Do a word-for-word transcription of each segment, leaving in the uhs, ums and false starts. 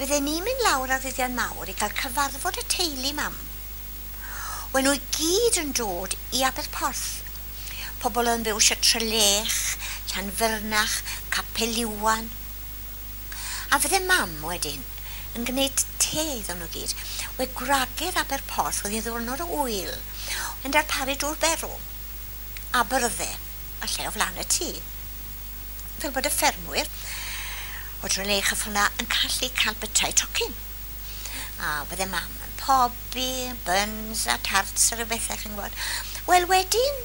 Bydden ni'n mynd lawr ar ddyddiau mawr i cael cyfarfod y teulu mam. Wen nhw i gyd yn dod i Aberporth. Pobl yn byw eisiau Trelech, Llanfyrnach, Capel Iwan. A fydde mam wedyn yn gwneud te iddyn nhw gyd. We gwragedd Aberporth oedd hi'n ddiwrnod o ŵyl yn darparu dŵr berw a byrdde, falle o flaen y tŷ. Fel bod y ffermwyr o Drelech a ffyna yn gallu cael bytau tocyn. A fydde mam yn pobi, buns a tarts a rhyw bethau, chi'n gwybod. Wel wedyn,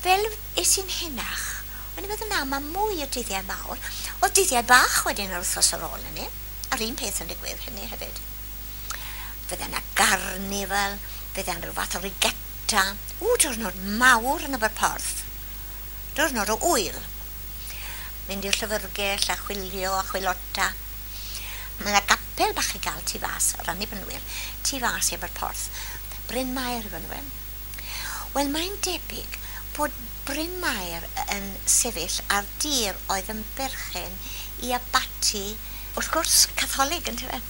fel es i'n henach, o'n i'n meddwl na, mae mwy o dyddiau mawr. Oedd dyddiau bach wedyn yr wythnos ar ôl hynny, a'r un peth yn digwydd hynny hefyd. Fydde yna garnifal, fydde yna rhyw fath o rigetta. Ww, diwrnod mawr yn Aberporth. Diwrnod o ŵyl. Mynd i'r llyfrgell a chwilio a chwilota. Mae yna gapel bach i gael tu fas, yr Annibynwyr, tu fas i Aberporth. Bryn Mair yw enw e. Wel, mae'n debyg bod Bryn Mair yn sefyll ar dir oedd yn berchen i abaty, wrth gwrs, Catholig, yntyfe?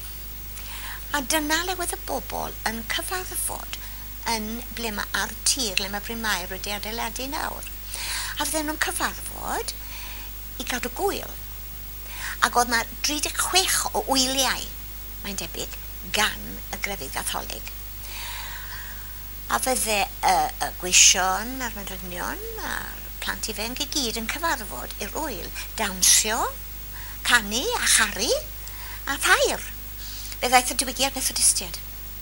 A dyna le oedd y bobl yn cyfarfod yn ble mae ar tir, le mae Bryn Mair wedi adeiladu nawr. A fydden nhw'n cyfarfod i gadw gwyl. Ac oedd yna dri deg chwech o wyliau, mae'n debyg, gan y grefydd Gatholig. A fydde y, y gweision a'r morynion a'r plant ifanc i gyd yn cyfarfod i'r ŵyl, dawnsio, canu a charu a thair. Fe ddaeth y diwygiad Methodistiaid.